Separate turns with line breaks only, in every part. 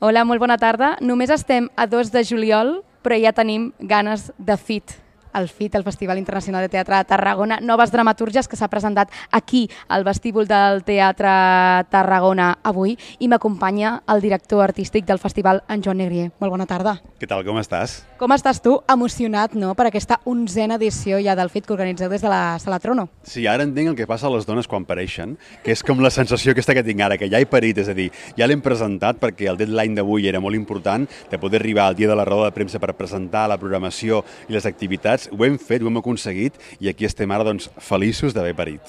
Hola, molt bona tarda. Només estem a 2 de juliol, però ja tenim ganes de FIT. El FIT, el Festival Internacional de Teatre de Tarragona, noves dramatúrgies que s'ha presentat aquí, al vestíbul del Teatre Tarragona avui, i m'acompanya el director artístic del festival, en Joan Negrier. Molt bona tarda.
Què tal, com estàs?
Com estàs tu? Emocionat, no?, per aquesta 11a edició ja del FIT que organitzeu des de la Sala Trono.
Sí, ara entenc el que passa a les dones quan pareixen, que és com la sensació aquesta que tinc ara, que ja he parit, és a dir, ja l'hem presentat perquè el deadline d'avui era molt important, de poder arribar al dia de la roda de premsa per presentar la programació i les activitats. Ho hem fet, ho hem aconseguit i aquí estem ara doncs, feliços d'haver parit.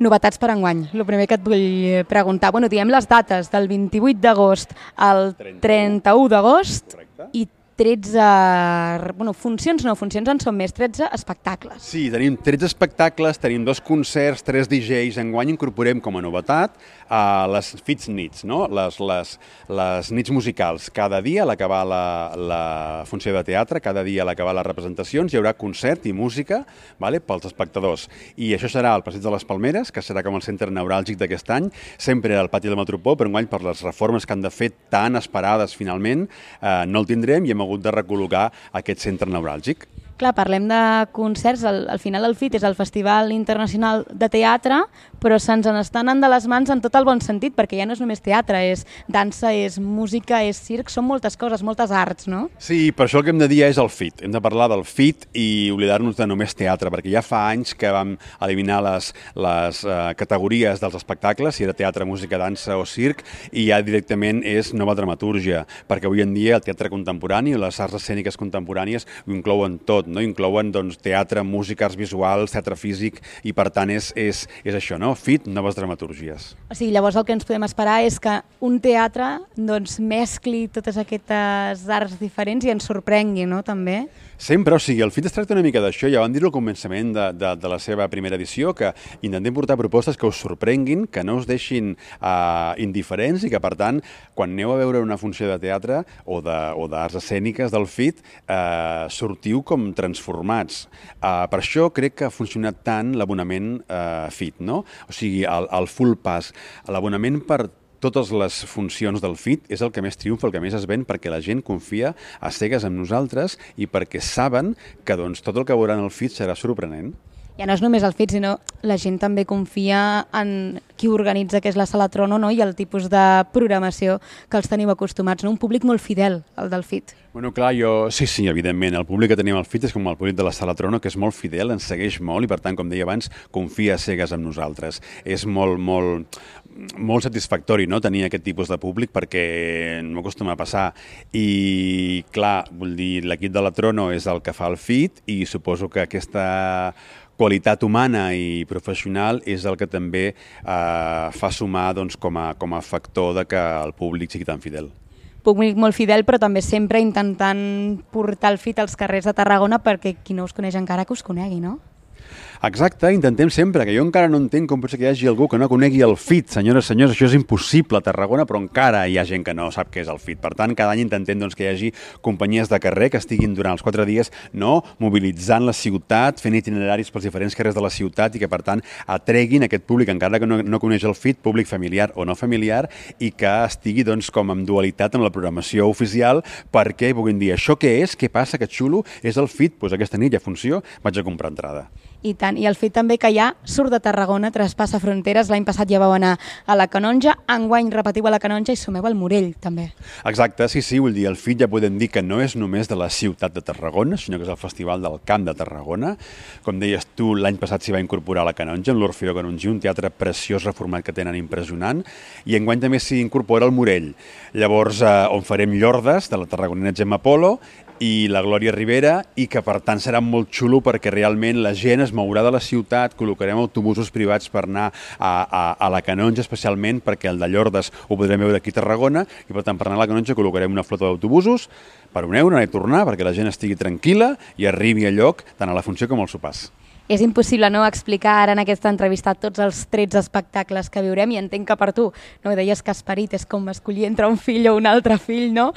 Novetats per enguany. El primer que et vull preguntar, diem les dates del 28 d'agost al 31 d'agost i 13, funcions en són més, 13 espectacles.
Sí, tenim 13 espectacles, tenim 2 concerts, 3 DJs. Enguany incorporem com a novetat les FITs nits, no? les nits musicals. Cada dia a l'acabar la funció de teatre, cada dia a l'acabar les representacions, hi haurà concert i música, vale, pels espectadors. I això serà al Passeig de les Palmeres, que serà com el centre neuràlgic d'aquest any, sempre al pati del Metropol, però enguany per les reformes que han de fer tan esperades finalment, no el tindrem i hem hagut de recol·locar aquest centre neuràlgic.
Clar, parlem de concerts, al final el FIT és el Festival Internacional de Teatre, però se'ns n'està anant de les mans en tot el bon sentit, perquè ja no és només teatre, és dansa, és música, és circ, són moltes coses, moltes arts, no?
Sí, per això el que hem de dir és el FIT. Hem de parlar del FIT i oblidar-nos de només teatre, perquè ja fa anys que vam eliminar les categories dels espectacles, si era teatre, música, dansa o circ, i ja directament és nova dramatúrgia, perquè avui en dia el teatre contemporani o les arts escèniques contemporànies ho inclouen tot, no? Inclouen doncs, teatre, música, arts visuals, teatre físic, i per tant és això, no? FIT, noves dramatúrgies.
O sigui, llavors el que ens podem esperar és que un teatre doncs, mescli totes aquestes arts diferents i ens sorprengui, no?, també.
Sempre, o sigui, el FIT es tracta una mica d'això, ja vam dir-ho al començament de la seva primera edició, que intentem portar propostes que us sorprenguin, que no us deixin indiferents i que, per tant, quan aneu a veure una funció de teatre o d'arts escèniques del FIT, sortiu com transformats. Per això crec que ha funcionat tant l'abonament FIT, no? O sigui, el Full Pass, l'abonament per totes les funcions del FIT és el que més triomfa, el que més es ven, perquè la gent confia a cegues en nosaltres i perquè saben que doncs, tot el que veuran al FIT serà sorprenent.
Ja no és només el FIT, sinó la gent també confia en qui organitza, que és la Sala Trono, no? I el tipus de programació que els teniu acostumats, no? Un públic molt fidel, el del FIT.
Bueno, clar, sí, evidentment, el públic que tenim al FIT és com el públic de la Sala Trono, que és molt fidel, ens segueix molt i, per tant, com deia abans, confia a cegues en nosaltres. És molt satisfactori, no?, tenir aquest tipus de públic, perquè no m'acostuma a passar. I, clar, vull dir, l'equip de la Trono és el que fa el FIT i suposo que aquesta qualitat humana i professional és el que també fa sumar doncs, com a factor de que el públic sigui tan fidel.
Públic molt fidel, però també sempre intentant portar el FIT als carrers de Tarragona perquè qui no us coneix encara que us conegui, no?
Exacte, intentem sempre, que jo encara no entenc com pot ser que hi hagi algú que no conegui el FIT. Senyores, senyors, això és impossible a Tarragona, però encara hi ha gent que no sap què és el FIT. Per tant, cada any intentem doncs, que hi hagi companyies de carrer que estiguin durant els 4 dies mobilitzant la ciutat, fent itineraris pels diferents carrers de la ciutat i que, per tant, atreguin aquest públic, encara que no coneix el FIT, públic familiar o no familiar, i que estigui doncs, com en dualitat amb la programació oficial perquè puguin dir això què és, què passa, que xulo, és el FIT, doncs aquesta nit hi ha funció, vaig a comprar entrada.
I tant, i el FIT també que ja surt de Tarragona, traspassa fronteres, l'any passat ja vau anar a la Canonja, enguany repetiu a la Canonja i sumeu al Morell, també.
Exacte, sí, vull dir, el FIT ja podem dir que no és només de la ciutat de Tarragona, sinó que és el Festival del Camp de Tarragona. Com deies tu, l'any passat s'hi va incorporar a la Canonja, en l'Orfeó Canongí, un teatre preciós reformat que tenen impressionant, i enguany també s'hi incorpora el Morell. Llavors, on farem Llordes, de la tarragonina Gemma Polo, i la Glòria Rivera, i que per tant serà molt xulo perquè realment la gent es mourà de la ciutat, col·locarem autobusos privats per anar a la Canonja especialment perquè el de Llordes ho podrem veure aquí a Tarragona i per tant per anar a la Canonja col·locarem una flota d'autobusos per €1 anar i tornar perquè la gent estigui tranquil·la i arribi a lloc tant a la funció com als sopars.
És impossible no explicar ara en aquesta entrevista tots els 13 espectacles que viurem i entenc que per tu, no deies que Esperit és com escollir entre un fill o un altre fill, no?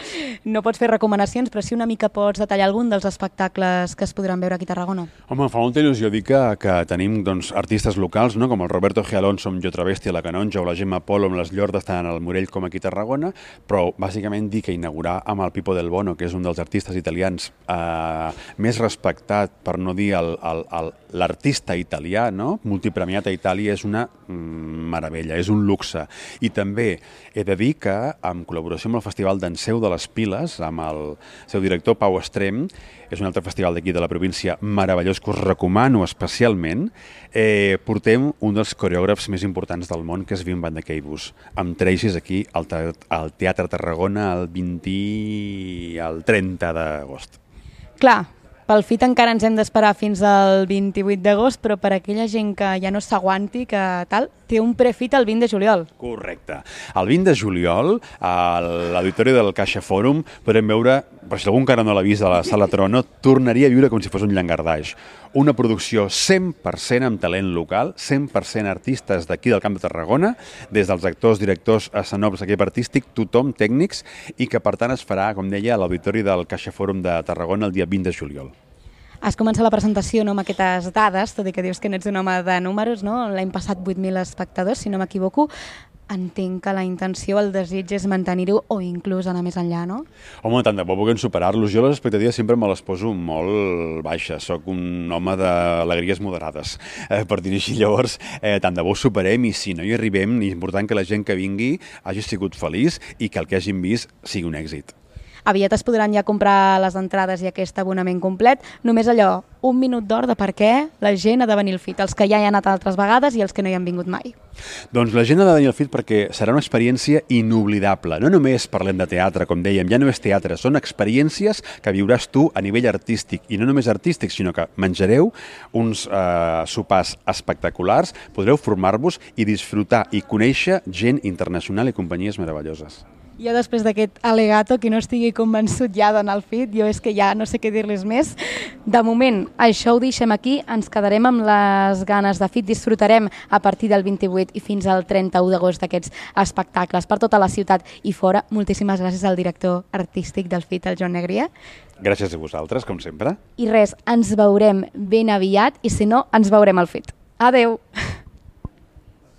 No pots fer recomanacions, però sí una mica pots detallar algun dels espectacles que es podran veure aquí a Tarragona.
Home, em fa molta il·lusió dir que tenim doncs, artistes locals, no? Com el Roberto G. Alonso amb Jo Travesti a la Canonja o la Gemma Polo amb les Llordes tant al Morell com aquí a Tarragona, però bàsicament dir que inaugurar amb el Pippo del Bono, que és un dels artistes italians més respectat, per no dir l'artista italià, no? Multipremiat a Itàlia, és una meravella, és un luxe. I també he de dir que, en col·laboració amb el Festival d'Enseu de les Piles, amb el seu director Pau Estrem, és un altre festival d'aquí de la província meravellós que us recomano especialment, portem un dels coreògrafs més importants del món, que és Wim van de Keibus, amb Tracy's aquí al Teatre Tarragona el 30 d'agost.
Clar, pel FIT encara ens hem d'esperar fins al 28 d'agost, però per aquella gent que ja no s'aguanti, que tal, té un prefit el 20 de juliol.
Correcte. El 20 de juliol, a l'auditori del Caixa Fòrum, podrem veure, per si algú encara no l'ha vist a la Sala Trono, tornaria a viure com si fos un llangardaix. Una producció 100% amb talent local, 100% artistes d'aquí del Camp de Tarragona, des dels actors, directors, escenògrafs, equip artístic, tothom, tècnics, i que per tant es farà, com deia, a l'auditori del Caixa Fòrum de Tarragona el dia 20 de juliol.
Has començat la presentació no, amb aquestes dades, tot i que dius que n'ets un home de números, no? L'any passat 8.000 espectadors, si no m'equivoco. Entenc que la intenció, el desig és mantenir-ho o inclús anar més enllà, no?
Home, tant de bo puguem superar-los. Jo les expectatives sempre me les poso molt baixes. Soc un home d'alegries moderades, per dir-ho així. Llavors, tant de bo superem i si no hi arribem, és important que la gent que vingui hagi sigut feliç i que el que hagin vist sigui un èxit.
Aviat es podran ja comprar les entrades i aquest abonament complet. Només allò, un minut d'or de per què la gent ha de venir al FIT, els que ja hi han anat altres vegades i els que no hi han vingut mai.
Doncs la gent ha de venir al FIT perquè serà una experiència inoblidable. No només parlem de teatre, com dèiem, ja no és teatre, són experiències que viuràs tu a nivell artístic. I no només artístic, sinó que menjareu uns sopars espectaculars, podreu formar-vos i disfrutar i conèixer gent internacional i companyies meravelloses.
Jo després d'aquest al·legato, qui no estigui convençut ja d'anar al FIT, jo és que ja no sé què dir-les més. De moment, això ho deixem aquí, ens quedarem amb les ganes de FIT, disfrutarem a partir del 28 i fins al 31 d'agost d'aquests espectacles per tota la ciutat i fora. Moltíssimes gràcies al director artístic del FIT, el Joan Negria.
Gràcies a vosaltres, com sempre.
I res, ens veurem ben aviat i si no, ens veurem al FIT. Adeu!